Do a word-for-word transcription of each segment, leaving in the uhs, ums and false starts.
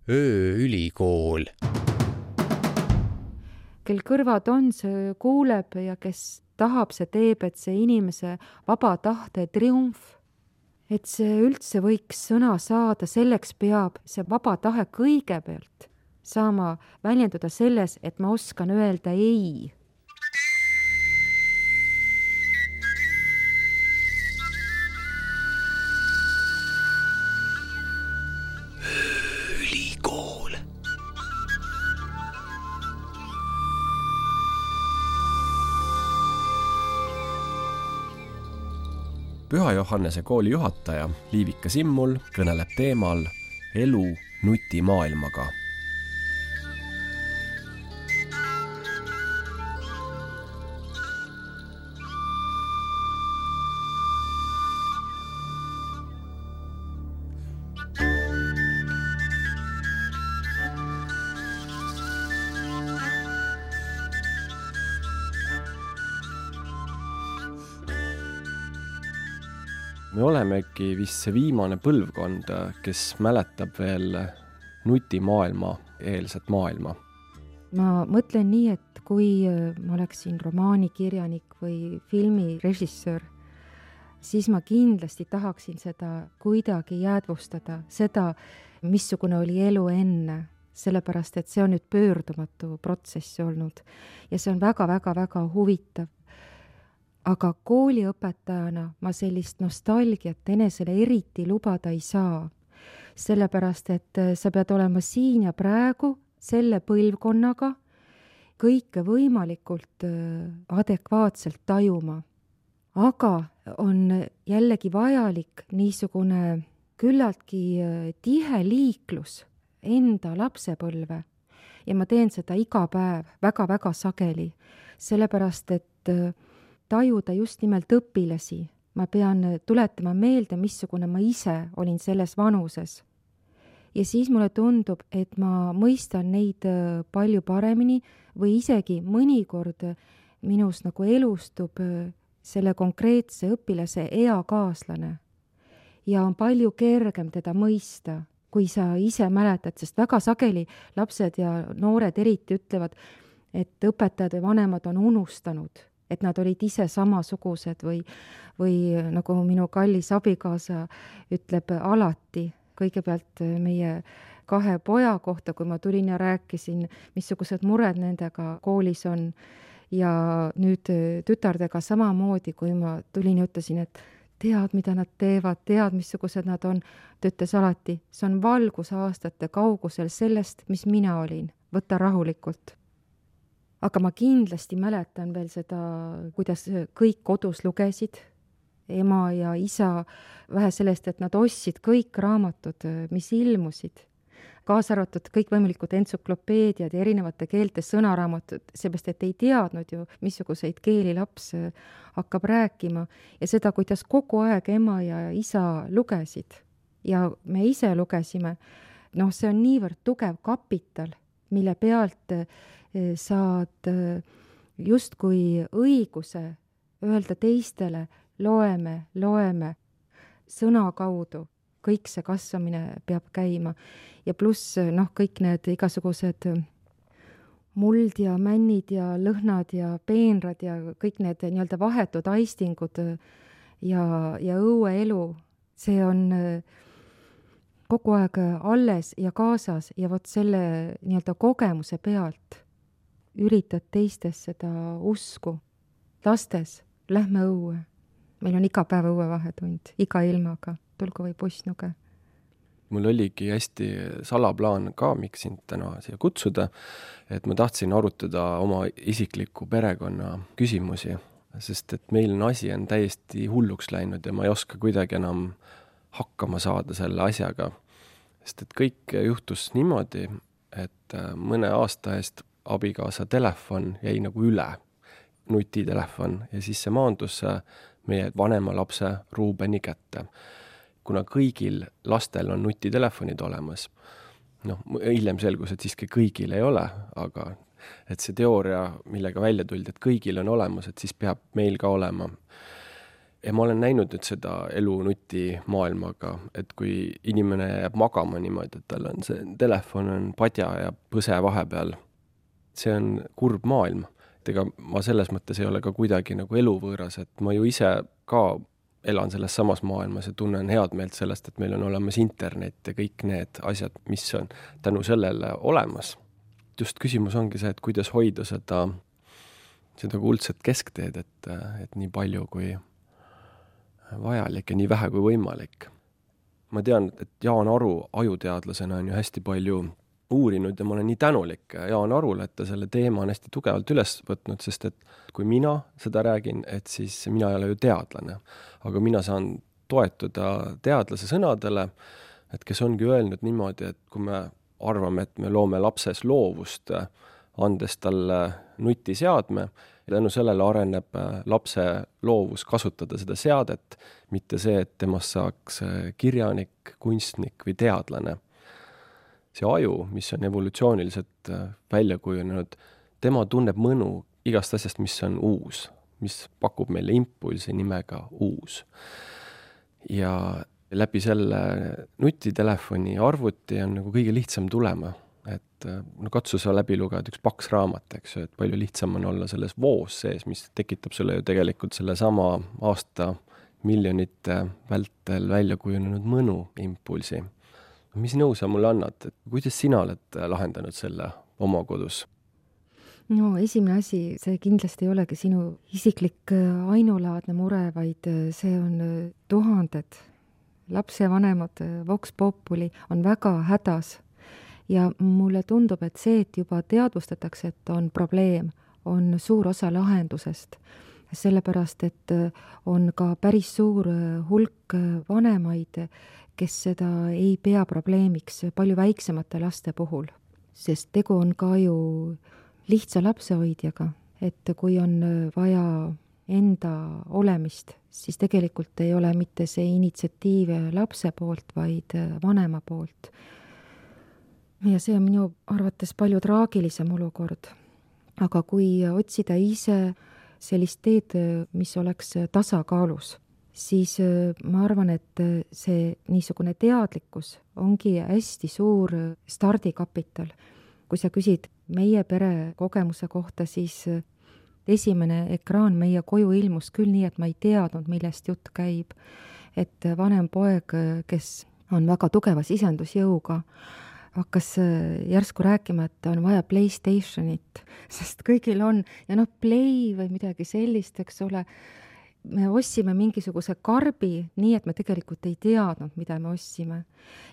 ööülikool. Kel kõrvad on, see kuuleb ja kes tahab, see teeb, et see inimese vaba tahte triumf, et see üldse võiks sõna saada, selleks peab see vaba tahe kõigepealt saama väljenduda selles, et ma oskan öelda ei. Ülikool. Püha Johannese kooli juhataja Liivika Simmul kõneleb teemal elu nutimaailmaga. Me olemegi vist see viimane põlvkond, kes mäletab veel nutimaailma eelset maailma. Ma mõtlen nii, et kui ma oleksin romaanikirjanik või filmirežissöör, siis ma kindlasti tahaksin seda kuidagi jäädvustada, seda, missugune oli elu enne, sellepärast et see on nüüd pöördumatu protsess olnud ja see on väga-väga-väga huvitav. Aga kooliõpetajana ma sellist nostalgiat enesele eriti lubada ei saa, sellepärast et sa pead olema siin ja praegu selle põlvkonnaga kõike võimalikult adekvaatselt tajuma. Aga on jällegi vajalik niisugune küllaltki tihe liiklus enda lapsepõlve ja ma teen seda iga päev väga-väga sageli, sellepärast et tajuda just nimelt õpilasi. Ma pean tuletama meelde, missugune ma ise olin selles vanuses. Ja siis mulle tundub, et ma mõistan neid palju paremini või isegi mõnikord minus nagu elustub selle konkreetse õpilase eakaaslane. Ja on palju kergem teda mõista, kui sa ise mäletad, sest väga sageli lapsed ja noored eriti ütlevad, et õpetajad või vanemad on unustanud, et nad olid ise samasugused või, või nagu minu kallis abikaasa ütleb alati, kõigepealt meie kahe poja kohta, kui ma tulin ja rääkisin, missugused mured nendega koolis on ja nüüd tütardega samamoodi, kui ma tulin ja ütlesin, et tead, mida nad teevad, tead, missugused nad on, ta ütles alati, see on valgusaastate kaugusel sellest, mis mina olin, võta rahulikult. Aga ma kindlasti mäletan veel seda, kuidas kõik kodus lugesid, ema ja isa, vähe sellest, et nad ostsid kõik raamatud, mis ilmusid, kaasa arvatud kõik võimalikud entsüklopeediad ja erinevate keelte sõnaraamatud, seepärast, et ei teadnud ju, missuguseid keeli laps hakkab rääkima ja seda, kuidas kogu aeg ema ja isa lugesid ja me ise lugesime. Noh, see on niivõrd tugev kapital, mille pealt saad justkui õiguse öelda teistele, loeme, loeme sõna kaudu. Kõik see kasvamine peab käima ja pluss noh, kõik need igasugused muld ja männid ja lõhnad ja peenrad ja kõik need nii-öelda vahetud aistingud ja, ja õueelu, see on kogu aeg alles ja kaasas ja vot selle nii-öelda kogemuse pealt üritad teistes seda usku. Lastes, lähme õue. Meil on iga päev õuevahetund, iga ilmaga, tulgu või pussnuge. Mul oligi hästi salaplaan ka, miks sind täna siia kutsuda, et ma tahtsin arutada oma isikliku perekonna küsimusi, sest et meil on asi on täiesti hulluks läinud ja ma ei oska kuidagi enam hakkama saada selle asjaga. Sest et kõik juhtus niimoodi, et mõne aasta eest abikaasa telefon jäi nagu üle, nutitelefon, ja siis see maandus meie vanema lapse Ruubeni kätte. Kuna kõigil lastel on nutitelefonid olemas, noh, hiljem selgus, et siiski kõigil ei ole, aga et see teooria, millega välja tuldi, et kõigil on olemas, et siis peab meil ka olema. ja ma olen näinud nüüd seda elu nutimaailmaga, et kui inimene jääb magama niimoodi, et tal on see telefon on padja ja põse vahepeal, see on kurb maailm. Et ega ma selles mõttes ei ole ka kuidagi nagu eluvõõras, et ma ju ise ka elan selles samas maailmas ja tunnen head meelt sellest, et meil on olemas internet ja kõik need asjad, mis on tänu sellele olemas. Just küsimus ongi see, et kuidas hoida seda, seda kuldset keskteed, et, et nii palju kui vajalik ja nii vähe kui võimalik. Ma tean, et Jaan Aru ajuteadlasena on ju hästi palju uurinud ja ma olen nii tänulik Jaan Arule, et ta selle teema on hästi tugevalt üles võtnud, sest et kui mina seda räägin, et siis mina ei ole ju teadlane, aga mina saan toetuda teadlase sõnadele, et kes ongi öelnud niimoodi, et kui me arvame, et me loome lapses loovust, andes talle nutiseadme, ja tänu sellele areneb lapse loovus kasutada seda seadet, mitte see, et temast saaks kirjanik, kunstnik või teadlane. See aju, mis on evolutsiooniliselt välja kujunenud, tema tunneb mõnu igast asjast, mis on uus, mis pakub meile impulsi nimega uus. Ja läbi selle nutitelefoni arvuti on nagu kõige lihtsam tulema, et no katsu sa läbi lugeda üks paks raamat, eks ju, et palju lihtsam on olla selles voos sees, mis tekitab sulle ju tegelikult selle sama aasta miljonite vältel välja kujunenud mõnu impulsi. Mis nõu sa mulle annad? Kuidas sina oled lahendanud selle oma kodus? No esimene asi, see kindlasti ei olegi sinu isiklik ainulaadne mure, vaid see on tuhanded lapsevanemad, Vox Populi on väga hädas. Ja mulle tundub, et see, et juba teadvustatakse, et on probleem, on suur osa lahendusest. Sellepärast, et on ka päris suur hulk vanemaid, kes seda ei pea probleemiks palju väiksemate laste puhul. Sest tegu on ka ju lihtsa lapsehoidjaga, et kui on vaja enda olemist, siis tegelikult ei ole mitte see initsiatiiv lapse poolt, vaid vanema poolt. Ja see on minu arvates palju traagilisem olukord. Aga kui otsida ise sellist teed, mis oleks tasakaalus, siis ma arvan, et see niisugune teadlikkus ongi hästi suur stardikapital. Kui sa küsid meie pere kogemuse kohta, siis esimene ekraan meie koju ilmus küll nii, et ma ei teadnud, millest jutt käib. Et vanem poeg, kes on väga tugeva sisendusjõuga, hakkas järsku rääkima, et on vaja PlayStationit, sest kõigil on, ja noh, Play või midagi sellist, eks ole, me ossime mingisuguse karbi, nii et me tegelikult ei teadnud, mida me ossime.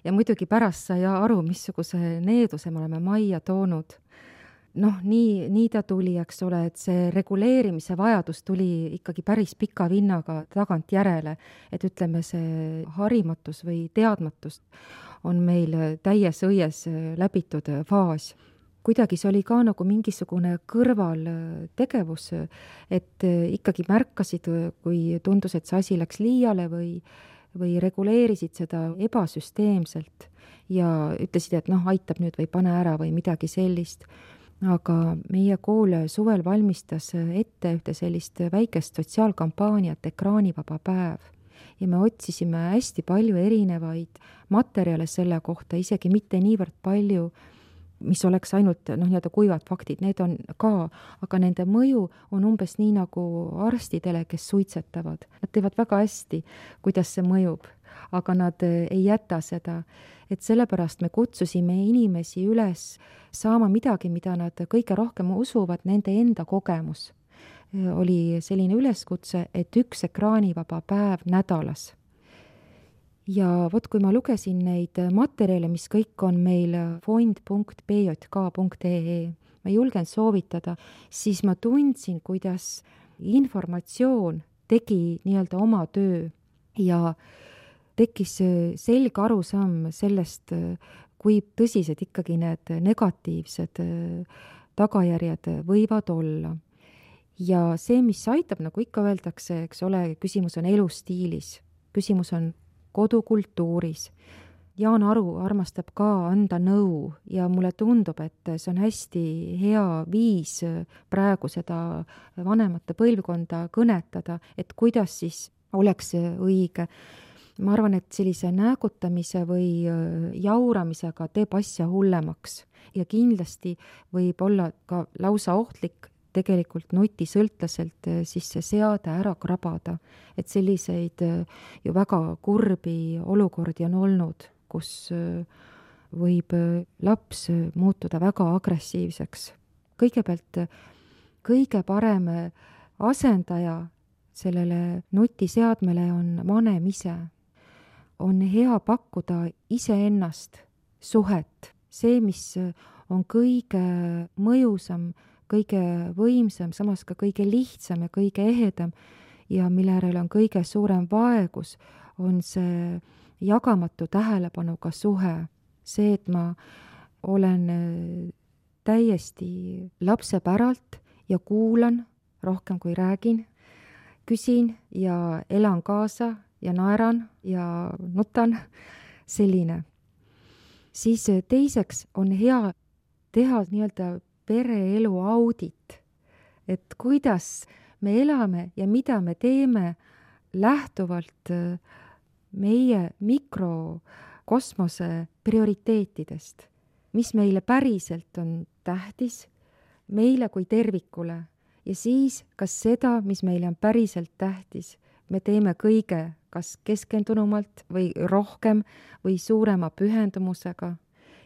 Ja muidugi pärast sai aru, missuguse needuse me oleme majja toonud. Noh, nii, nii ta tuli, eks ole, et see reguleerimise vajadus tuli ikkagi päris pika vinnaga tagant järele, et ütleme, see harimatus või teadmatus on meil täies õies läbitud faas. Kuidagi see oli ka nagu mingisugune kõrvaltegevus, et ikkagi märkasid, kui tundus, et see asi läks liiale või, või reguleerisid seda ebasüsteemselt ja ütlesid, et noh, aitab nüüd või pane ära või midagi sellist. Aga meie kool suvel valmistas ette ühte sellist väikest sotsiaalkampaaniat Ekraanivaba päev. Ja me otsisime hästi palju erinevaid materjale selle kohta, isegi mitte niivõrd palju, mis oleks ainult noh, nii-öelda kuivad faktid, need on ka, aga nende mõju on umbes nii nagu arstidele, kes suitsetavad. Nad teevad väga hästi, kuidas see mõjub, aga nad ei jäta seda. Et sellepärast me kutsusime inimesi üles saama midagi, mida nad kõige rohkem usuvad, nende enda kogemus. Oli selline üleskutse, et üks ekraanivaba päev nädalas. Ja vot, kui ma lugesin neid materjale, mis kõik on meil fond punkt b j k punkt e e, ma julgen soovitada, siis ma tundsin, kuidas informatsioon tegi nii-öelda oma töö ja tekkis selge arusaam sellest, kui tõsised ikkagi need negatiivsed tagajärjed võivad olla. Ja see, mis aitab, nagu ikka öeldakse, eks ole, küsimus on elustiilis, küsimus on kodukultuuris. Jaan Aru armastab ka anda nõu ja mulle tundub, et see on hästi hea viis praegu seda vanemate põlvkonda kõnetada, et kuidas siis oleks õige. Ma arvan, et sellise näägutamise või jauramisega teeb asja hullemaks ja kindlasti võib olla ka lausa ohtlik tegelikult nutisõltlaselt siis see seade ära krabada. Et selliseid ju väga kurbi olukordi on olnud, kus võib laps muutuda väga agressiivseks. Kõigepealt kõige parem asendaja sellele nutiseadmele on vanem ise. On hea pakkuda iseennast, suhet, see, mis on kõige mõjusam, kõige võimsam, samas ka kõige lihtsam ja kõige ehedam ja mille järel on kõige suurem vaegus, on see jagamatu tähelepanuga suhe. See, et ma olen täiesti lapse päralt ja kuulan rohkem kui räägin, küsin ja elan kaasa ja naeran ja nutan, selline. Siis teiseks on hea teha nii-öelda pereelu audit, et kuidas me elame ja mida me teeme lähtuvalt meie mikrokosmose prioriteetidest, mis meile päriselt on tähtis, meile kui tervikule ja siis kas seda, mis meile on päriselt tähtis, me teeme kõige kas keskendunumalt või rohkem või suurema pühendumusega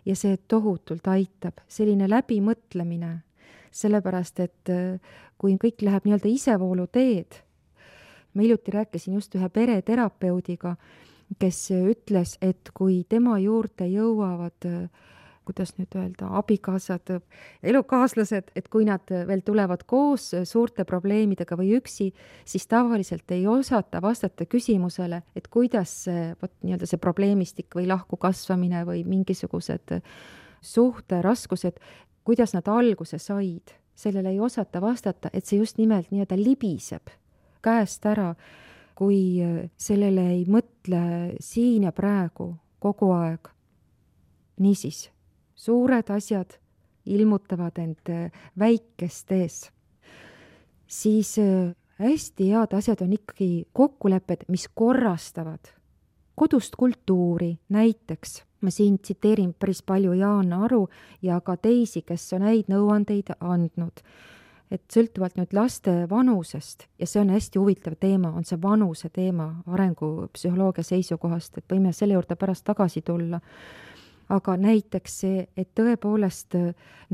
ja see tohutult aitab, selline läbimõtlemine, sellepärast et kui kõik läheb nii-öelda isevoolu teed, ma hiljuti rääkisin just ühe pereterapeudiga, kes ütles, et kui tema juurde jõuavad kuidas nüüd öelda, abikaasad, elukaaslased, et kui nad veel tulevad koos suurte probleemidega või üksi, siis tavaliselt ei osata vastata küsimusele, et kuidas võt, nii-öelda see probleemistik või lahku kasvamine või mingisugused suhteraskused, kuidas nad alguse said. Sellele ei osata vastata, et see just nimelt nii-öelda libiseb käest ära, kui sellele ei mõtle siin ja praegu kogu aeg. Niisiis, suured asjad ilmutavad end väikestes. Siis hästi head asjad on ikkagi kokkulepped, mis korrastavad kodust kultuuri. Näiteks ma siin tsiteerin päris palju Jaan Aru ja ka teisi, kes on häid nõuandeid andnud. Et sõltuvalt nüüd laste vanusest, ja see on hästi huvitav teema, on see vanuse teema arengupsühholoogia seisukohast, et võime selle juurde pärast tagasi tulla. Aga näiteks see, et tõepoolest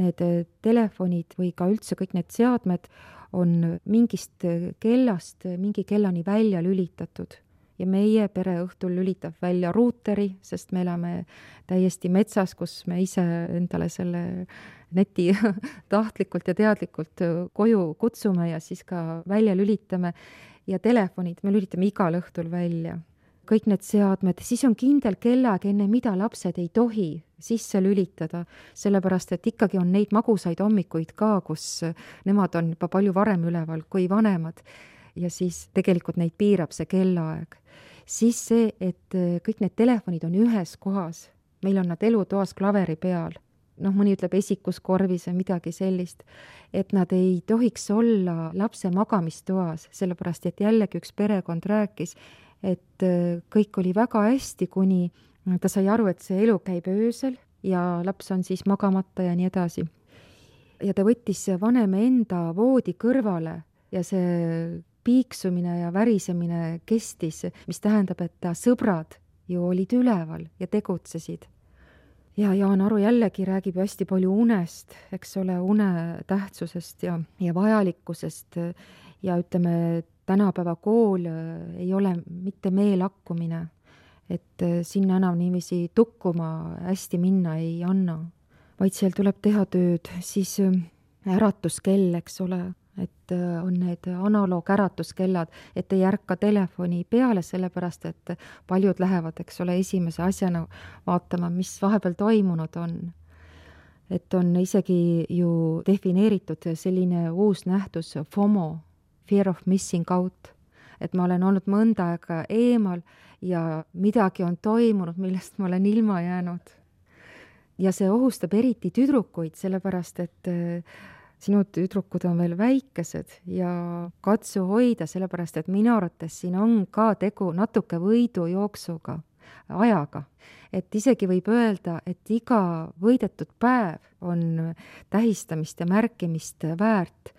need telefonid või ka üldse kõik need seadmed on mingist kellast mingi kellani välja lülitatud. Ja meie pere õhtul lülitab välja ruuteri, sest me elame täiesti metsas, kus me ise endale selle neti tahtlikult ja teadlikult koju kutsume ja siis ka välja lülitame. Ja telefonid me lülitame igal õhtul välja. Kõik need seadmed, siis on kindel kellaga, enne mida lapsed ei tohi sisse lülitada, sellepärast et ikkagi on neid magusaid hommikuid ka, kus nemad on juba palju varem üleval kui vanemad ja siis tegelikult neid piirab see kellaaeg. Siis see, et kõik need telefonid on ühes kohas, meil on nad elutoas klaveri peal, noh, mõni ütleb esikuskorvis või midagi sellist, et nad ei tohiks olla lapse magamistoas, sellepärast et jällegi üks perekond rääkis, et kõik oli väga hästi, kuni ta sai aru, et see elu käib öösel ja laps on siis magamata ja nii edasi. Ja ta võttis vaneme enda voodi kõrvale ja see piiksumine ja värisemine kestis, mis tähendab, et ta sõbrad ju olid üleval ja tegutsesid. Ja Jaan Aru jällegi räägib hästi palju unest, eks ole, une tähtsusest ja, ja vajalikkusest ja ütleme, tänapäeva kool ei ole mitte meelakkumine, et sinna enam niiviisi tukkuma hästi minna ei anna, vaid seal tuleb teha tööd, siis äratuskell, eks ole, et on need analoog äratuskellad, et ei ärka telefoni peale, sellepärast et paljud lähevad, eks ole, esimese asjana vaatama, mis vahepeal toimunud on. Et on isegi ju defineeritud selline uus nähtus FOMO, fear of missing out, et ma olen olnud mõnda aega eemal ja midagi on toimunud, millest ma olen ilma jäänud. Ja see ohustab eriti tüdrukuid, sellepärast et sinu tüdrukud on veel väikesed ja katsu hoida, sellepärast et minu arvates siin on ka tegu natuke võidujooksuga, ajaga. Et isegi võib öelda, et iga võidetud päev on tähistamist ja märkimist väärt,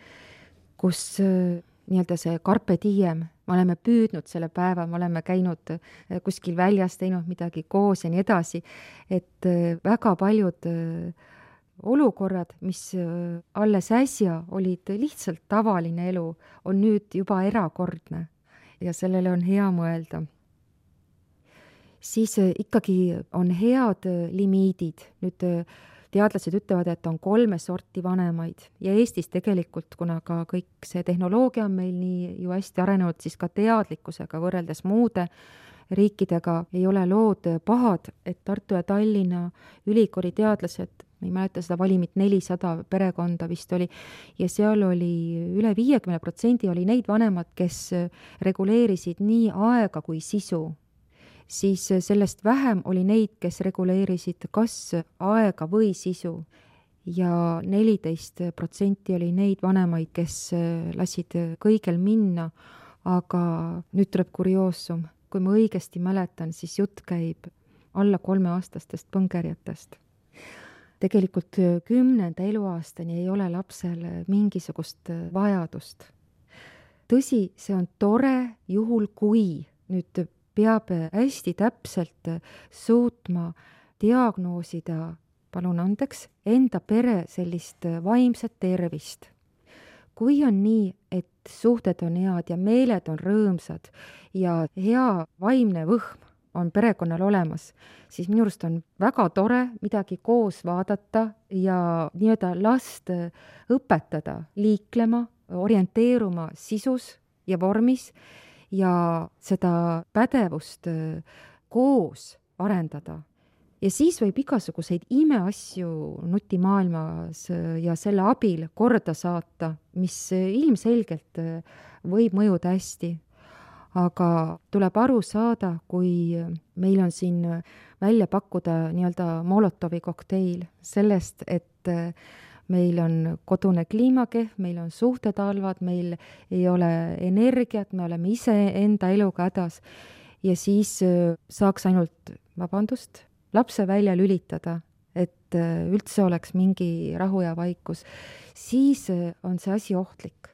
kus nii-öelda see carpe diem, me oleme püüdnud selle päeva, me oleme käinud kuskil väljas, teinud midagi koos ja nii edasi, et väga paljud olukorrad, mis alles äsja olid lihtsalt tavaline elu, on nüüd juba erakordne ja sellele on hea mõelda. Siis ikkagi on head limiidid. Nüüd teadlased ütlevad, et on kolme sorti vanemaid ja Eestis tegelikult, kuna ka kõik see tehnoloogia on meil nii ju hästi arenenud, siis ka teadlikkusega võrreldes muude riikidega ei ole lood pahad, et Tartu ja Tallinna ülikooli teadlased, ma ei mäleta seda valimit, nelisada perekonda vist oli, ja seal oli üle viiekümne protsendi oli neid vanemad, kes reguleerisid nii aega kui sisu. Siis sellest vähem oli neid, kes reguleerisid kas aega või sisu ja neliteist protsenti oli neid vanemaid, kes lasid kõigel minna, aga nüüd tuleb kurioosum. Kui ma õigesti mäletan, siis jutt käib alla kolmeaastastest põngerjatest. Tegelikult kümnenda eluaastani ei ole lapsel mingisugust vajadust. Tõsi, see on tore juhul, kui nüüd peab hästi täpselt suutma diagnoosida, palun andeks, enda pere sellist vaimset tervist. Kui on nii, et suhted on head ja meeled on rõõmsad ja hea vaimne võhm on perekonnal olemas, siis minu arust on väga tore midagi koos vaadata ja nii-öelda last õpetada, liiklema, orienteeruma sisus ja vormis, ja seda pädevust koos arendada. Ja siis võib igasuguseid imeasju nutimaailmas ja selle abil korda saata, mis ilmselgelt võib mõjuda hästi. Aga tuleb aru saada, kui meil on siin välja pakkuda nii-öelda Molotovi kokteil sellest, et meil on kodune kliimakehv, meil on suhted halvad, meil ei ole energiat, me oleme ise enda eluga hädas ja siis saaks ainult, vabandust, lapse välja lülitada, et üldse oleks mingi rahu ja vaikus, siis on see asi ohtlik.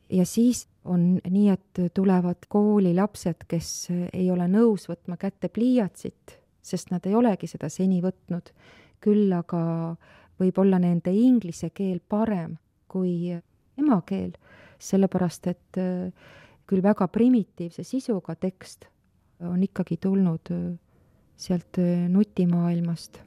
Ja siis on nii, et tulevad kooli lapsed, kes ei ole nõus võtma kätte pliiatsit, sest nad ei olegi seda seni võtnud, küll aga võib olla nende inglise keel parem kui emakeel, sellepärast et küll väga primitiivse sisuga tekst on ikkagi tulnud sealt nutimaailmast.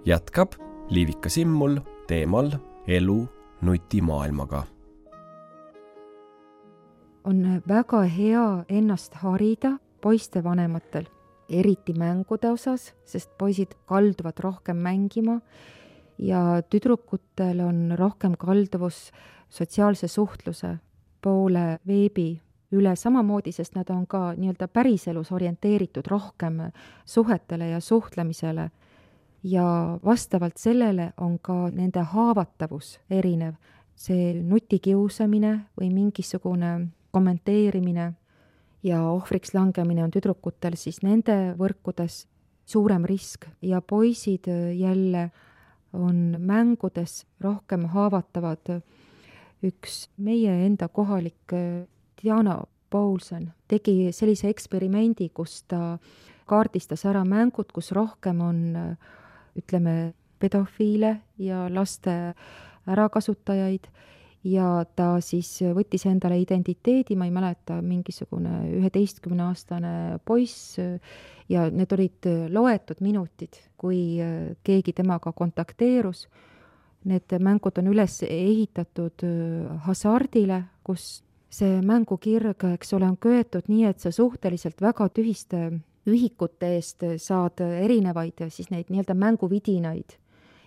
Jätkab Liivika Simmul teemal elu nutimaailmaga. On väga hea ennast harida poiste vanematel, eriti mängude osas, sest poisid kalduvad rohkem mängima ja tüdrukutel on rohkem kalduvus sotsiaalse suhtluse poole veebi üle samamoodi, sest nad on ka nii-öelda päriselus orienteeritud rohkem suhetele ja suhtlemisele. Ja vastavalt sellele on ka nende haavatavus erinev. See nutikiusamine või mingisugune kommenteerimine ja ohvriks langemine on tüdrukutel siis nende võrkudes suurem risk ja poisid jälle on mängudes rohkem haavatavad. Üks meie enda kohalik Diana Paulsen tegi sellise eksperimendi, kus ta kaardistas ära mängud, kus rohkem on, ütleme, pedofiile ja laste ärakasutajaid ja ta siis võttis endale identiteedi, ma ei mäleta, mingisugune üheteistkümneaastane poiss ja need olid loetud minutid, kui keegi temaga kontakteerus. Need mängud on üles ehitatud hasardile, kus see mängukirg, eks ole, on köetud nii, et sa suhteliselt väga tühiste ühikute eest saad erinevaid siis neid nii-öelda mänguvidinaid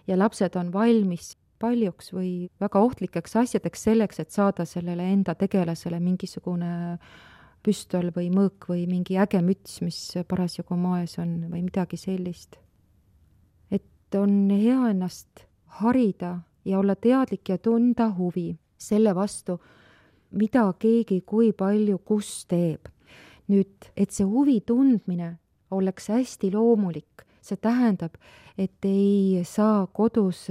ja lapsed on valmis paljuks või väga ohtlikeks asjadeks selleks, et saada sellele enda tegelasele mingisugune püstol või mõõk või mingi äge müts, mis parasjagu moes on või midagi sellist. Et on hea ennast harida ja olla teadlik ja tunda huvi selle vastu, mida keegi kui palju kus teeb. Nüüd, et see huvi tundmine oleks hästi loomulik, see tähendab, et ei saa kodus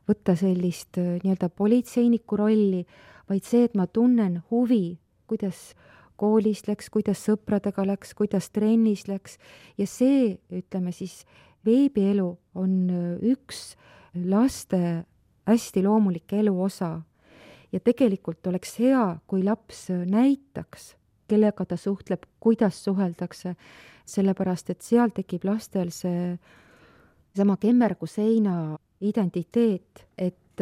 võtta sellist nii-öelda politseiniku rolli, vaid see, et ma tunnen huvi, kuidas koolis läks, kuidas sõpradega läks, kuidas trennis läks ja see, ütleme siis, veebielu on üks laste hästi loomulik elu osa ja tegelikult oleks hea, kui laps näitaks, kellega ta suhtleb, kuidas suheldakse, sellepärast, et seal tekib lastel see sama kemmerguseina identiteet, et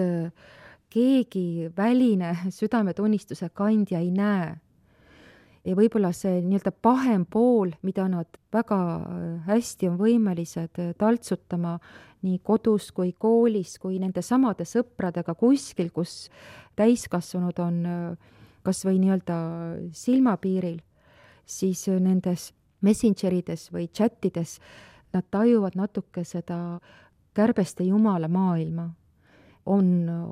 keegi väline südametunnistuse kandja ei näe. Ja võib-olla see nii-öelda pahem pool, mida nad väga hästi on võimelised taltsutama nii kodus kui koolis, kui nende samade sõpradega kuskil, kus täiskasvanud on kas või nii-öelda silmapiiril, siis nendes messengerides või chatides nad tajuvad natuke seda kärbeste jumala maailma. On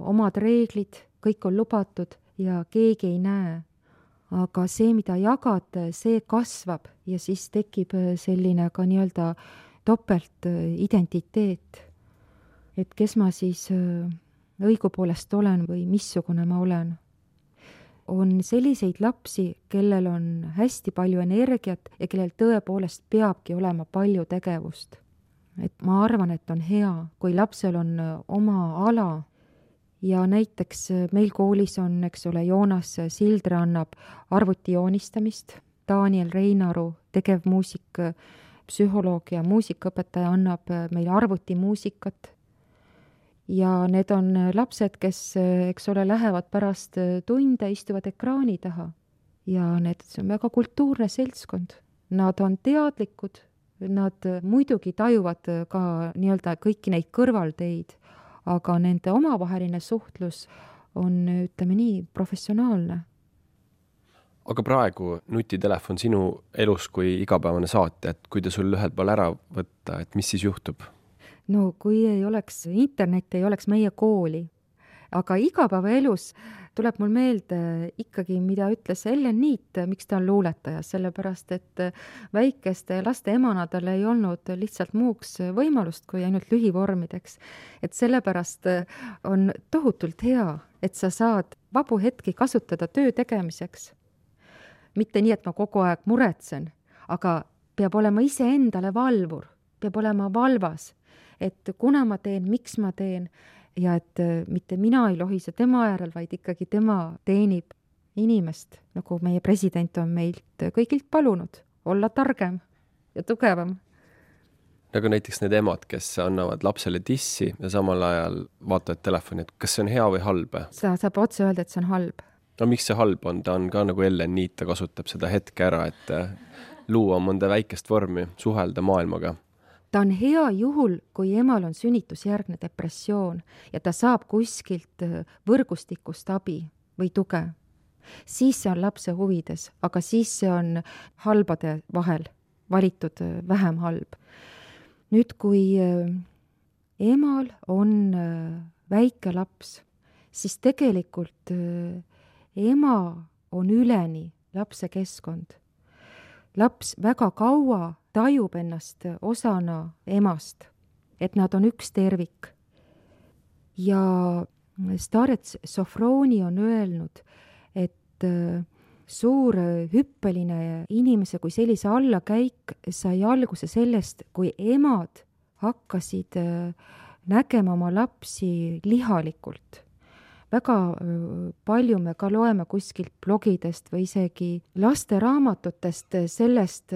omad reeglid, kõik on lubatud ja keegi ei näe. Aga see, mida jagad, see kasvab ja siis tekib selline ka nii-öelda topelt identiteet. Et kes ma siis õigupoolest olen või missugune ma olen. On selliseid lapsi, kellel on hästi palju energiat ja kellel tõepoolest peabki olema palju tegevust. Et ma arvan, et on hea, kui lapsel on oma ala ja näiteks meil koolis on, eks ole, Joonas Sildre annab arvuti joonistamist, Daniel Reinaru, tegevmuusik, psühholoog ja muusikaõpetaja annab meil arvutimuusikat. Ja need on lapsed, kes, eks ole, lähevad pärast tunde, istuvad ekraani taha. Ja need on väga kultuurne seltskond. Nad on teadlikud, nad muidugi tajuvad ka nii-öelda kõiki neid kõrvalteid, aga nende omavaheline suhtlus on, ütleme nii, professionaalne. Aga praegu nutitelefon sinu elus kui igapäevane saate, et kui ta sul ühel pool ära võtta, et mis siis juhtub? No kui ei oleks internet, ei oleks meie kooli. Aga igapäevaelus tuleb mul meelde ikkagi, mida ütles Ellen Niit, miks ta on luuletaja, sellepärast, et väikeste laste emana tal ei olnud lihtsalt muuks võimalust kui ainult lühivormideks. Et sellepärast on tohutult hea, et sa saad vabu hetki kasutada töö tegemiseks. Mitte nii, et ma kogu aeg muretsen, aga peab olema ise endale valvur, peab olema valvas, et kuna ma teen, miks ma teen, ja et mitte mina ei lohise tema äärel, vaid ikkagi tema teenib inimest, nagu meie president on meilt kõigilt palunud, olla targem ja tugevam. Nagu näiteks need emad, kes annavad lapsele tissi ja samal ajal vaatavad telefoni, et kas see on hea või halb? Sa saab otse öelda, et see on halb. No miks see halb on? Ta on ka nagu Ellen Niit, ta kasutab seda hetke ära, et luua mõnda väikest vormi, suhelda maailmaga. Ta on hea juhul, kui emal on sünnitusjärgne depressioon ja ta saab kuskilt võrgustikust abi või tuge. Siis see on lapse huvides, aga siis see on halbade vahel valitud vähem halb. Nüüd, kui emal on väike laps, siis tegelikult ema on üleni lapse keskkond. Laps väga kaua tajub ennast osana emast, et nad on üks tervik. ja Starets Sofroni on öelnud, et suur hüppeline inimese kui sellise allakäik sai alguse sellest, kui emad hakkasid nägema oma lapsi lihalikult. Väga palju me ka loeme kuskilt blogidest või isegi lasteraamatutest sellest,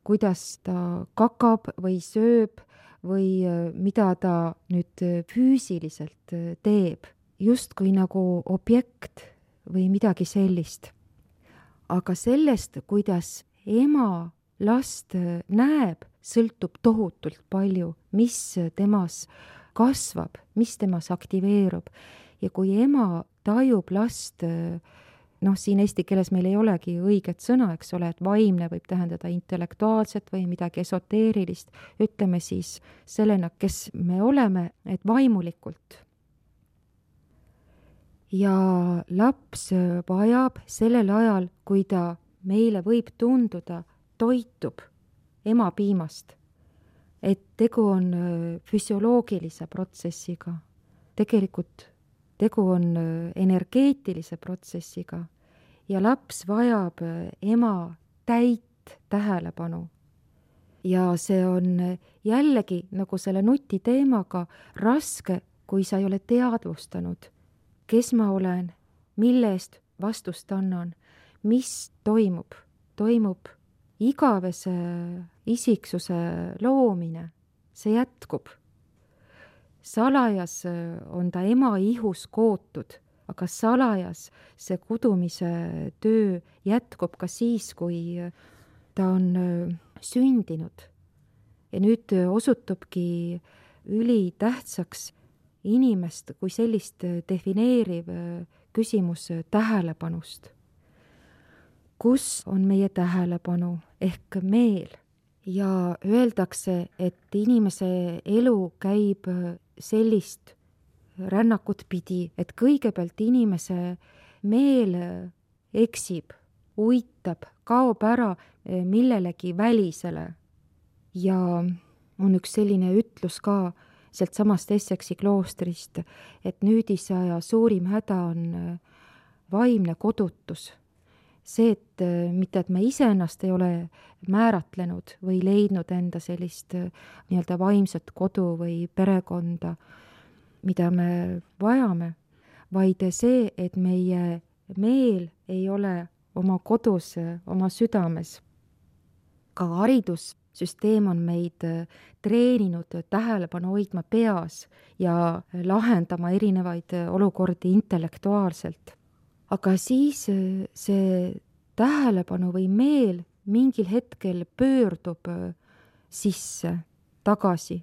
kuidas ta kakab või sööb või mida ta nüüd füüsiliselt teeb, justkui nagu objekt või midagi sellist. Aga sellest, kuidas ema last näeb, sõltub tohutult palju, mis temas kasvab, mis temas aktiveerub. Ja kui ema tajub last, noh, siin eesti keeles meil ei olegi õiget sõna, eks ole, et vaimne võib tähendada intellektuaalset või midagi esoteerilist, ütleme siis sellena, kes me oleme, et vaimulikult. Ja laps vajab sellel ajal, kui ta meile võib tunduda, toitub ema piimast, et tegu on füsioloogilise protsessiga, tegelikult tegu on energeetilise protsessiga ja laps vajab ema täit tähelepanu. Ja see on jällegi nagu selle nuti teemaga raske, kui sa ei ole teadvustanud, kes ma olen, mille eest vastust annan, mis toimub. Toimub igavese isiksuse loomine, see jätkub. Salajas on ta ema ihus kootud, aga salajas see kudumise töö jätkub ka siis, kui ta on sündinud. Ja nüüd osutubki ülitähtsaks inimest kui sellist defineeriv küsimus tähelepanust. Kus on meie tähelepanu ehk meel? Ja öeldakse, et inimese elu käib sellist rännakut pidi, et kõigepealt inimese meel eksib, uitab, kaob ära millelegi välisele. Ja on üks selline ütlus ka sealt samast Essexi kloostrist, et nüüdisaja suurim häda on vaimne kodutus. See, et mitte, et me iseennast ei ole määratlenud või leidnud enda sellist nii-öelda vaimset kodu või perekonda, mida me vajame, vaid see, et meie meel ei ole oma kodus, oma südames. Ka haridussüsteem on meid treeninud tähelepanu hoidma peas ja lahendama erinevaid olukordi intellektuaalselt. Aga siis see tähelepanu või meel mingil hetkel pöördub sisse, tagasi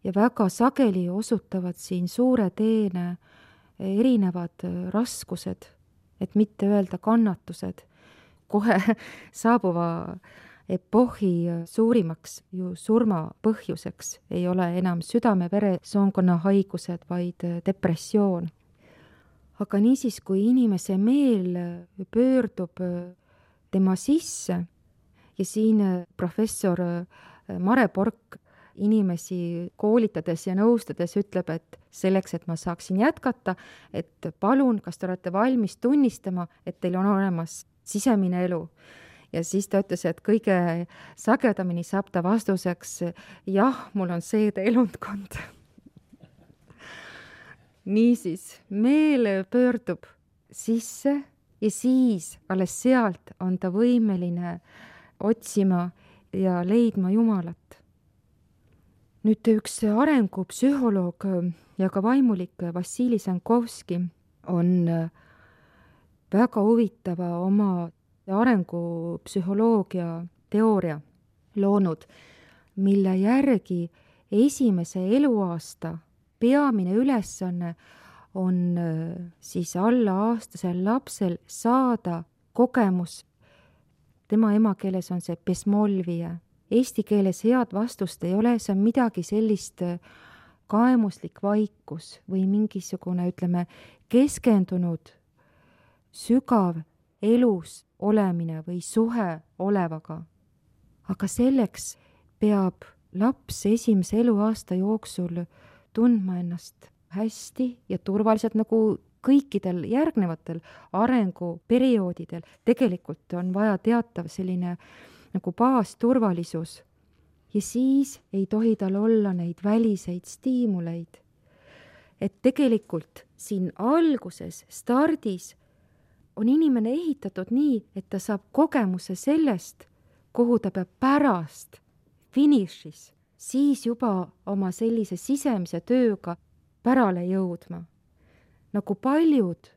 ja väga sageli osutavad siin suure teene erinevad raskused, et mitte öelda kannatused. Kohe saabuva epohhi suurimaks ju surma põhjuseks ei ole enam südame-veresoonkonna haigused, vaid depressioon. Aga niisiis, kui inimese meel pöördub tema sisse ja siin professor Mare Pork inimesi koolitades ja nõustades ütleb, et selleks, et ma saaksin jätkata, et palun, kas te olete valmis tunnistama, et teil on olemas sisemine elu. Ja siis ta ütles, et kõige sagedamini saab ta vastuseks, jah, mul on seede elundkond. Niisiis, meel pöördub sisse ja siis alles sealt on ta võimeline otsima ja leidma Jumalat. Nüüd üks arengupsühholoog ja ka vaimulik Vassili Sankovski on väga huvitava oma arengupsühholoogia teooria loonud, mille järgi esimese eluaasta peamine ülesanne on siis alla aastasel lapsel saada kogemus. Tema emakeeles on see pesmolvie. Eesti keeles head vastust ei ole, see on midagi sellist kaemuslik vaikus või mingisugune, ütleme, keskendunud sügav elus olemine või suhe olevaga. Aga selleks peab laps esimese eluaasta jooksul tundma ennast hästi ja turvaliselt, nagu kõikidel järgnevatel arenguperioodidel. Tegelikult on vaja teatav selline nagu baasturvalisus ja siis ei tohi tal olla neid väliseid stiimuleid. Et tegelikult siin alguses, stardis on inimene ehitatud nii, et ta saab kogemuse sellest, kuhu ta peab pärast finišis, siis juba oma sellise sisemise tööga pärale jõudma. Nagu paljud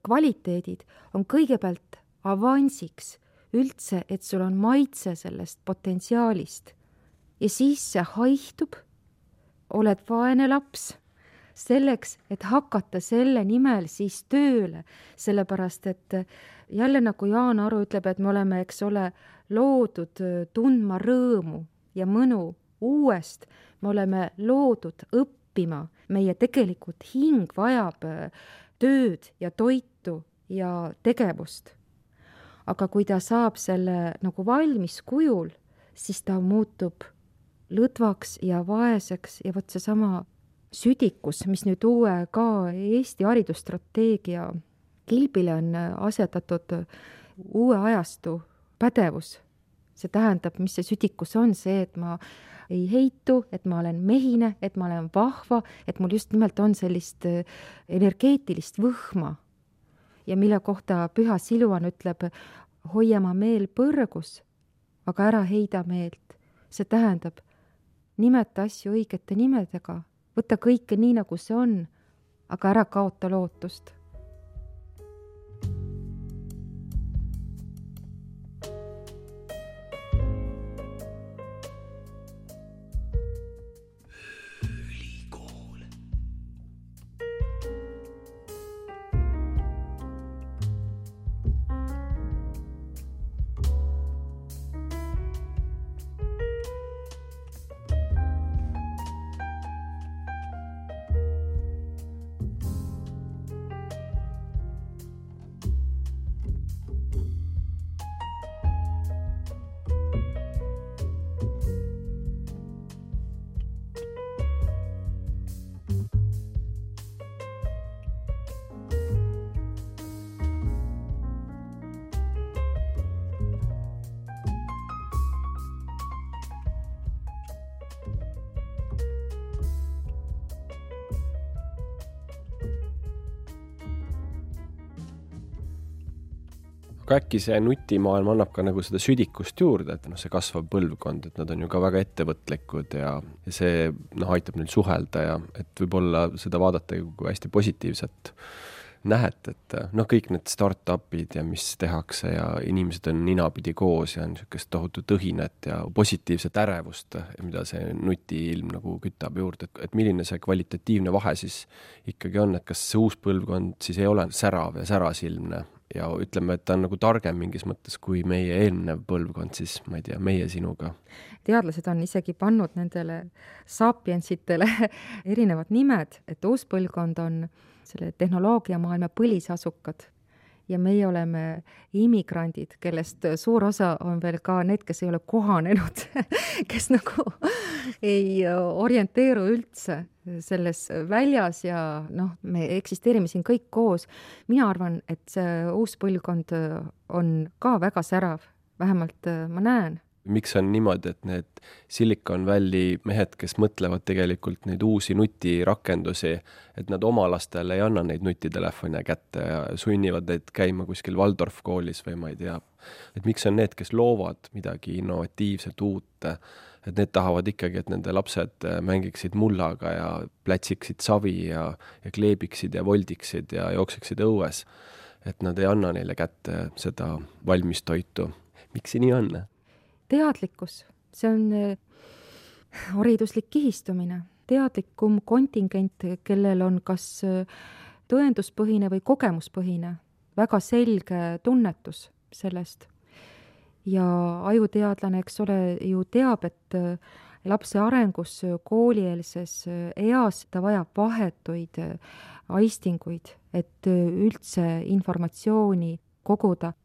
kvaliteedid on kõigepealt avansiks üldse, et sul on maitse sellest potentsiaalist. Ja siis see haihtub, oled vaene laps, selleks, et hakata selle nimel siis tööle, sellepärast et jälle nagu Jaan Aru ütleb, et me oleme, eks ole, loodud tundma rõõmu ja mõnu uuest, me oleme loodud õppima, meie tegelikult hing vajab tööd ja toitu ja tegevust. Aga kui ta saab selle nagu valmis kujul, siis ta muutub lõdvaks ja vaeseks ja võt see sama südikus, mis nüüd uue ka Eesti haridusstrateegia kilbile on asetatud uue ajastu pädevus. See tähendab, mis see südikus on, see, et ma ei heitu, et ma olen mehine, et ma olen vahva, et mul just nimelt on sellist energeetilist võhma. Ja mille kohta Püha Siluan ütleb, hoia ma meel põrgus, aga ära heida meelt. See tähendab, nimeta asju õigete nimedega, võta kõike nii, nagu see on, aga ära kaota lootust. Aga äkki see nutimaailm annab ka nagu seda südikust juurde, et no, see kasvav põlvkond, et nad on ju ka väga ettevõtlikud ja see no, aitab neil suhelda ja et võib-olla seda vaadata kui hästi positiivset nähet, et noh, kõik need start-upid ja mis tehakse ja inimesed on ninapidi koos ja on niisugust tohutu tõhinet ja positiivset ärevust, mida see nutiilm nagu kütab juurde, et, et milline see kvalitatiivne vahe siis ikkagi on, et kas see uus põlvkond siis ei ole särav ja särasilmne ja ütleme, et ta on nagu targem mingis mõttes kui meie eelnev põlvkond, siis ma ei tea, meie sinuga. Teadlased on isegi pannud nendele sapiensitele erinevad nimed, et uus põlvkond on selle tehnoloogia maailma põlisasukad ja meie oleme immigrandid, kellest suur osa on veel ka need, kes ei ole kohanenud, kes nagu ei orienteeru üldse selles väljas ja noh, me eksisteerime siin kõik koos. Mina arvan, et see uus põlvkond on ka väga särav, vähemalt ma näen. Miks on niimoodi, et need Silicon Valley mehed, kes mõtlevad tegelikult neid uusi nutirakendusi, et nad oma lastele ei anna neid nutitelefone kätte ja sunnivad neid käima kuskil Waldorf koolis või ma ei tea. Et miks on need, kes loovad midagi innovatiivset uut, et need tahavad ikkagi, et nende lapsed mängiksid mullaga ja plätsiksid savi ja, ja kleebiksid ja voldiksid ja jookseksid õues. Et nad ei anna neile kätte seda valmis toitu. Miks see nii on? Teadlikkus, see on hariduslik kihistumine, teadlikum kontingent, kellel on kas tõenduspõhine või kogemuspõhine, väga selge tunnetus sellest. Ja ajuteadlane, eks ole, ju teab, et lapse arengus koolieelses eas ta vajab vahetuid aistinguid, et üldse informatsiooni koguda.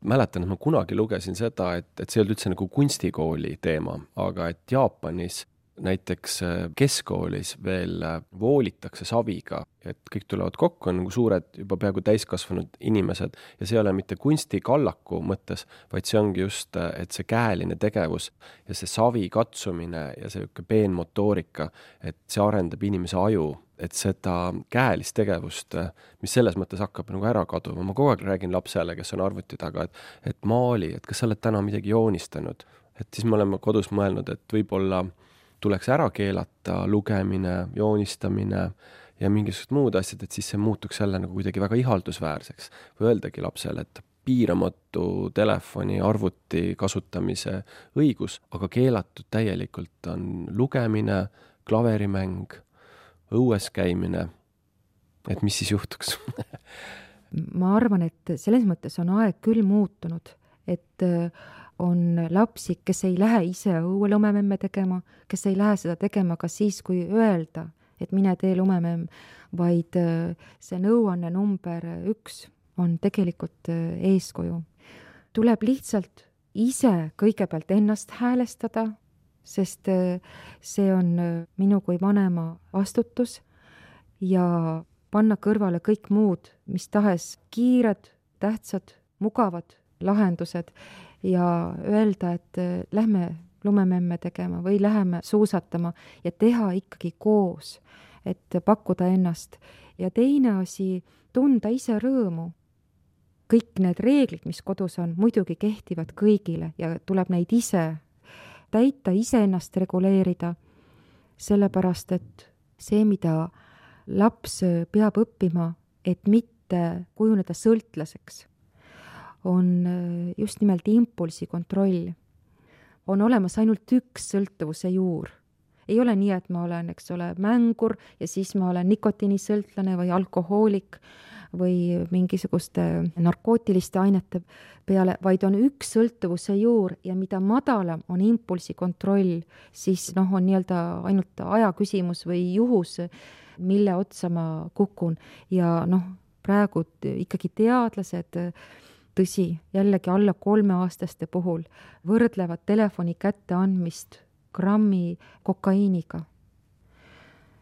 Mäletan, et ma kunagi lugesin seda, et, et see oli üldse nagu kunstikooli teema, aga et Jaapanis näiteks keskkoolis veel voolitakse saviga, et kõik tulevad kokku, on nagu suured juba peaaegu täiskasvanud inimesed ja see ei ole mitte kunstikallaku mõttes, vaid see ongi just, et see käeline tegevus ja see savi katsumine ja see peenmotoorika, et see arendab inimese aju, et seda käelist tegevust, mis selles mõttes hakkab nagu ära kaduma. Ma kogu aeg räägin lapsele, kes on arvuti taga, et, et maali, et kas sa oled täna midagi joonistanud, et siis me oleme kodus mõelnud, et võib-olla tuleks ära keelata lugemine, joonistamine ja mingisugused muud asjad, et siis see muutuks jälle nagu kuidagi väga ihaldusväärseks. Või öeldagi lapsele, et piiramatu telefoni, arvuti kasutamise õigus, aga keelatud täielikult on lugemine, klaverimäng, õues käimine. Et mis siis juhtuks? Ma arvan, et selles mõttes on aeg küll muutunud, et on lapsi, kes ei lähe ise õue lumememme tegema, kes ei lähe seda tegema ka siis, kui öelda, et mine tee lumememm, vaid see nõuanne number üks on tegelikult eeskuju. Tuleb lihtsalt ise kõigepealt ennast häälestada, sest see on minu kui vanema vastutus ja panna kõrvale kõik muud, mis tahes kiired, tähtsad, mugavad lahendused ja öelda, et lähme lumememme tegema või läheme suusatama ja teha ikkagi koos, et pakkuda ennast. Ja teine asi, tunda ise rõõmu. Kõik need reeglid, mis kodus on, muidugi kehtivad kõigile ja tuleb neid ise täita, ise ennast reguleerida, sellepärast et see, mida laps peab õppima, et mitte kujuneda sõltlaseks, on just nimelt impulsi kontroll. On olemas ainult üks sõltuvuse juur. Ei ole nii, et ma olen, eks ole, mängur ja siis ma olen nikotiinisõltlane või alkohoolik või mingisuguste narkootiliste ainete peale, vaid on üks sõltuvuse juur ja mida madalam on impulsi kontroll, siis noh, on nii-öelda ainult aja küsimus või juhus, mille otsa ma kukun. Ja noh, praegu ikkagi teadlased, tõsi, jällegi alla kolmeaastaste puhul võrdlevad telefoni kätte andmist grammi kokaiiniga.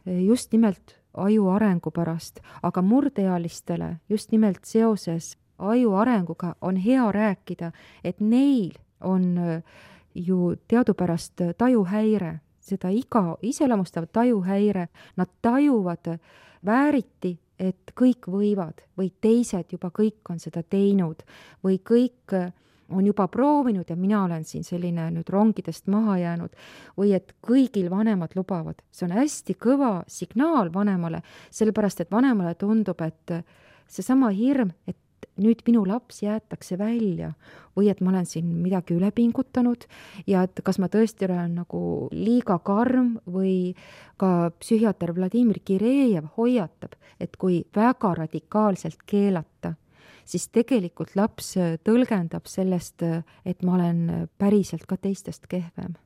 Just nimelt aju arengu pärast, aga murdealistele just nimelt seoses aju arenguga on hea rääkida, et neil on ju teadupärast tajuhäire, seda iga iseloomustav tajuhäire, nad tajuvad vääriti, et kõik võivad või teised juba kõik on seda teinud või kõik on juba proovinud ja mina olen siin selline nüüd rongidest maha jäänud või et kõigil vanemad lubavad. See on hästi kõva signaal vanemale, sellepärast et vanemale tundub, et seesama hirm, et nüüd minu laps jäetakse välja või et ma olen siin midagi üle pingutanud ja et kas ma tõesti olen nagu liiga karm või ka psühhiaater Vladimir Kirejev hoiatab, et kui väga radikaalselt keelata, siis tegelikult laps tõlgendab sellest, et ma olen päriselt ka teistest kehvem.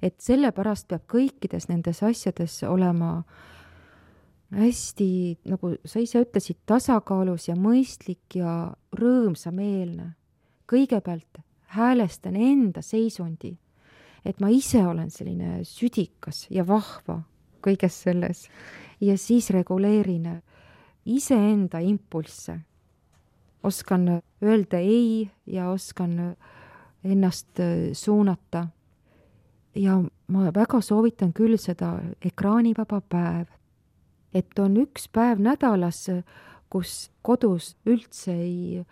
Et sellepärast peab kõikides nendes asjades olema hästi, nagu sa ise ütlesid, tasakaalus ja mõistlik ja rõõmsameelne. Kõigepealt häälestan enda seisundi, et ma ise olen selline südikas ja vahva kõiges selles ja siis reguleerin iseenda impulsse. Oskan öelda ei ja oskan ennast suunata. Ja ma väga soovitan küll seda ekraanivaba päev. Et on üks päev nädalas, kus kodus üldse ei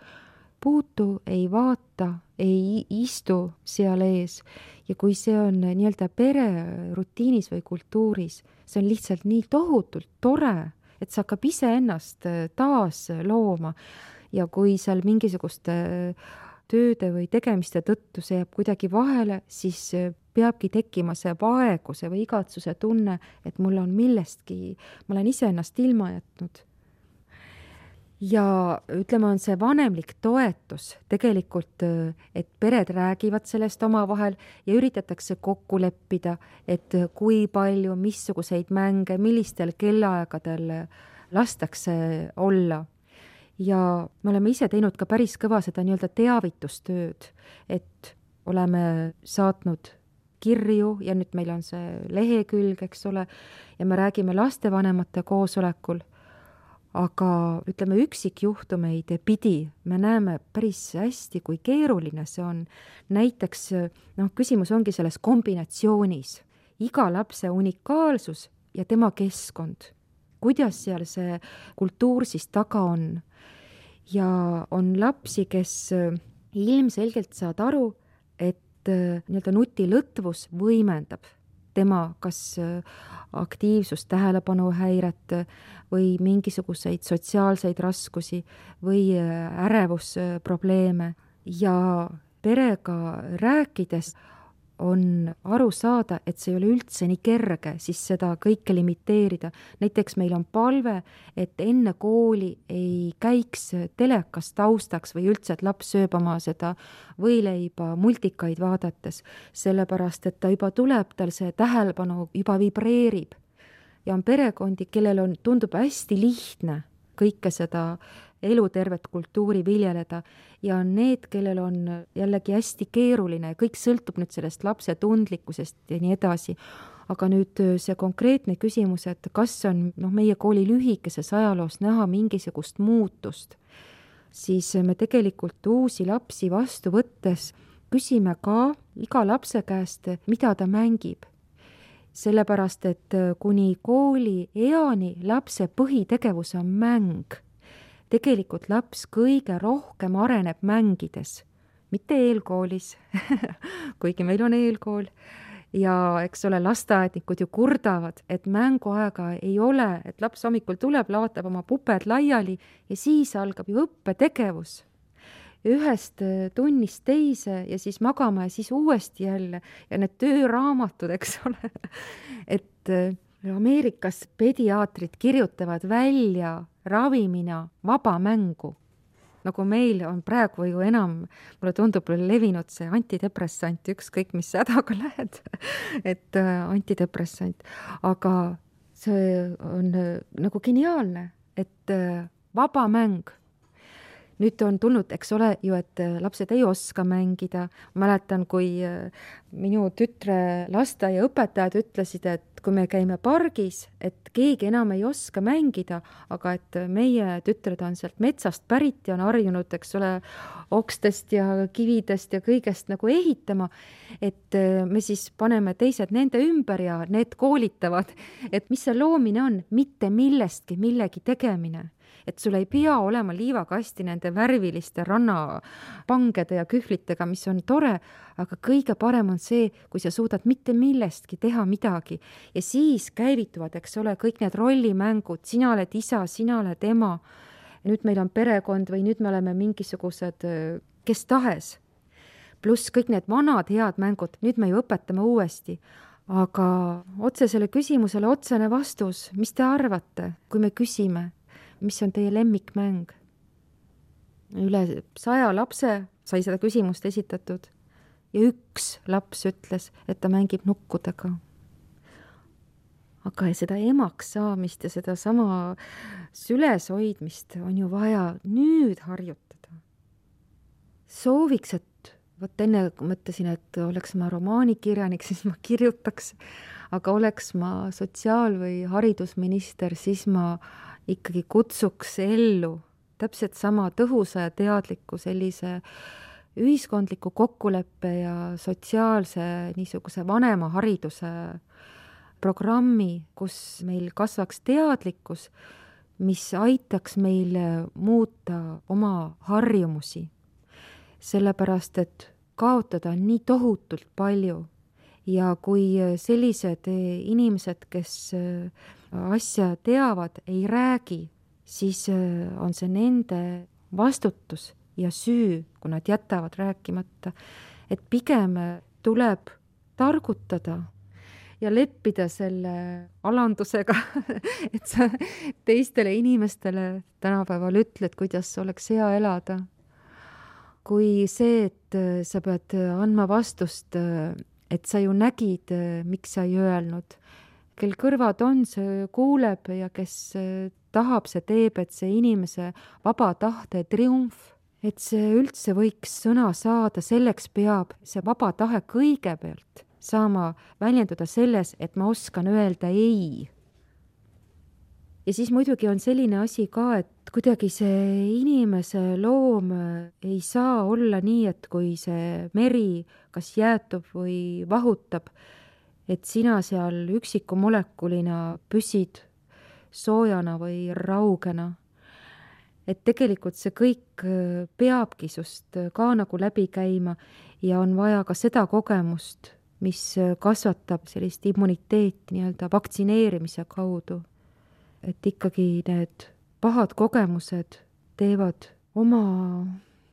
puutu, ei vaata, ei istu seal ees. Ja kui see on nii-öelda pere rutiinis või kultuuris, see on lihtsalt nii tohutult tore, et sa hakkab ise ennast taas looma. Ja kui seal mingisuguste tööde või tegemiste tõttu see jääb kuidagi vahele, siis peabki tekkima see vaeguse või igatsuse tunne, et mul on millestki, ma olen ise ennast ilma jätnud. Ja ütleme, on see vanemlik toetus tegelikult, et pered räägivad sellest omavahel ja üritatakse kokku leppida, et kui palju, missuguseid mänge, millistel kellaaegadel lastakse olla. Ja me oleme ise teinud ka päris kõva seda nii-öelda teavitustööd, et oleme saatnud kirju ja nüüd meil on see lehekülg, eks ole, ja me räägime lastevanemate koosolekul, aga ütleme üksikjuhtumeid pidi me näeme päris hästi, kui keeruline see on. Näiteks noh, küsimus ongi selles kombinatsioonis. Iga lapse unikaalsus ja tema keskkond. Kuidas seal see kultuur siis taga on. Ja on lapsi, kes ilmselgelt saad aru, et nii-öelda nutilõtvus võimendab tema kas aktiivsust, tähelepanuhäiret või mingisuguseid sotsiaalseid raskusi või ärevusprobleeme. Ja perega rääkides on aru saada, et see ei ole üldse nii kerge siis seda kõike limiteerida. Näiteks meil on palve, et enne kooli ei käiks telekas taustaks või üldse, et laps sööb oma seda võileiba multikaid vaadates, sellepärast, et ta juba tuleb, tal see tähelepanu juba vibreerib. Ja on perekondi, kellel on, tundub hästi lihtne kõike seda elutervet kultuuri viljeleda ja on need, kellel on jällegi hästi keeruline ja kõik sõltub nüüd sellest lapse tundlikkusest ja nii edasi. Aga nüüd see konkreetne küsimus, et kas on noh, meie kooli lühikeses ajaloos näha mingisugust muutust, siis me tegelikult uusi lapsi vastu võttes küsime ka iga lapse käest, mida ta mängib. Sellepärast, et kuni kooli eani lapse põhitegevus on mäng, tegelikult laps kõige rohkem areneb mängides, mitte eelkoolis, kuigi meil on eelkool. Ja eks ole, lasteaednikud ju kurdavad, et mänguaega ei ole, et laps hommikul tuleb, laotab oma puped laiali ja siis algab ju õppetegevus. Ühest tunnist teise ja siis magama ja siis uuesti jälle ja need tööraamatud, eks ole, et Ameerikas pediaatrid kirjutavad välja ravimina vaba mängu. Nagu meil on praegu ju enam, mulle tundub levinud see antidepressant, ükskõik mis hädaga lähed, et antidepressant. Aga see on nagu geniaalne, et vaba mäng. Nüüd on tulnud, eks ole ju, et lapsed ei oska mängida. Mäletan, kui minu tütre lasteaia õpetajad ütlesid, et kui me käime pargis, et keegi enam ei oska mängida, aga et meie tütred on sealt metsast pärit ja on harjunud, eks ole, okstest ja kividest ja kõigest nagu ehitama, et me siis paneme teised nende ümber ja need koolitavad, et mis see loomine on, mitte millestki millegi tegemine. Et sul ei pea olema liivakasti nende värviliste rannapangede ja kühvlitega, mis on tore, aga kõige parem on see, kui sa suudad mitte millestki teha midagi. Ja siis käivituvad, eks ole, kõik need rollimängud, sina oled isa, sina oled ema, nüüd meil on perekond või nüüd me oleme mingisugused kes tahes. Pluss kõik need vanad head mängud, nüüd me ju õpetame uuesti. Aga otse selle küsimusele otsene vastus, mis te arvate, kui me küsime? Mis on teie lemmikmäng? Üle saja lapse sai seda küsimust esitatud ja üks laps ütles, et ta mängib nukkudega. Aga seda emaks saamist ja seda sama süles hoidmist on ju vaja nüüd harjutada. Sooviks, et võt enne mõtlesin, et oleks ma romaanikirjanik, siis ma kirjutaks, aga oleks ma sotsiaal- või haridusminister, siis ma ikkagi kutsuks ellu täpselt sama tõhusa ja teadliku sellise ühiskondliku kokkuleppe ja sotsiaalse niisuguse vanema hariduse programmi, kus meil kasvaks teadlikkus, mis aitaks meil muuta oma harjumusi. Sellepärast, et kaotada on nii tohutult palju ja kui sellised inimesed, kes asja teavad, ei räägi, siis on see nende vastutus ja süü, kui nad jätavad rääkimata. Et pigem tuleb targutada ja leppida selle alandusega, et sa teistele inimestele tänapäeval ütled, kuidas oleks hea elada. Kui see, et sa pead andma vastust, et sa ju nägid, miks sa ei öelnud, kel kõrvad on, see kuuleb ja kes tahab, see teeb, et see inimese vaba tahte triumf, et see üldse võiks sõna saada, selleks peab see vaba tahe kõigepealt saama väljenduda selles, et ma oskan öelda ei. Ja siis muidugi on selline asi ka, et kuidagi see inimese loom ei saa olla nii, et kui see meri kas jäätub või vahutab, et sina seal üksiku molekulina püsid soojana või raugena. Et tegelikult see kõik peabki sust ka nagu läbi käima ja on vaja ka seda kogemust, mis kasvatab sellist immuniteeti nii-öelda vaktsineerimise kaudu. Et ikkagi need pahad kogemused teevad oma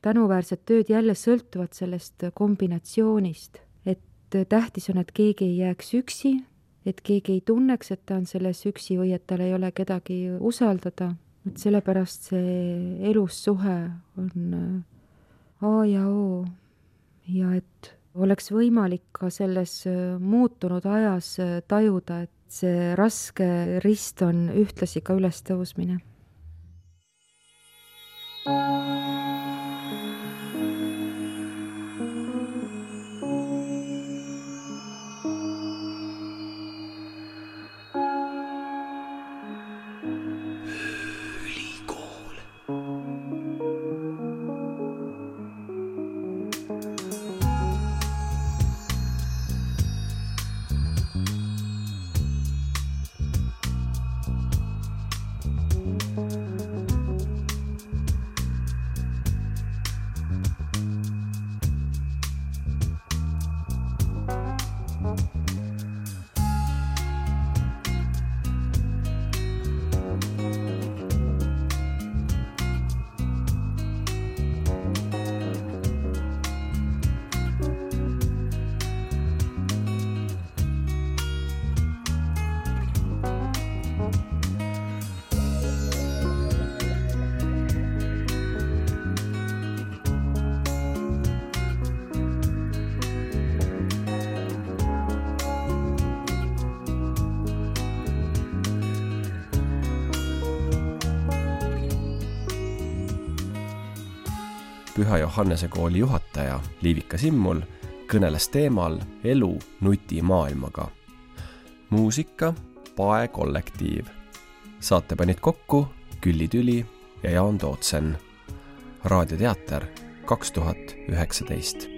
tänuväärset tööd jälle sõltuvad sellest kombinatsioonist. Et tähtis on, et keegi ei jääks üksi, et keegi ei tunneks, et ta on selles üksi või et tal ei ole kedagi usaldada. Et sellepärast see elussuhe on A ja O ja et oleks võimalik ka selles muutunud ajas tajuda, et see raske rist on ühtlasi ka ülestõusmine. Püha Johannese kooli juhataja Liivika Simmul kõneles teemal elu nutimaailmaga. Muusika Pae kollektiiv. Saate panid kokku Külli Tüli ja Jaan Tootsen. Raadioteater kaks tuhat üheksateist.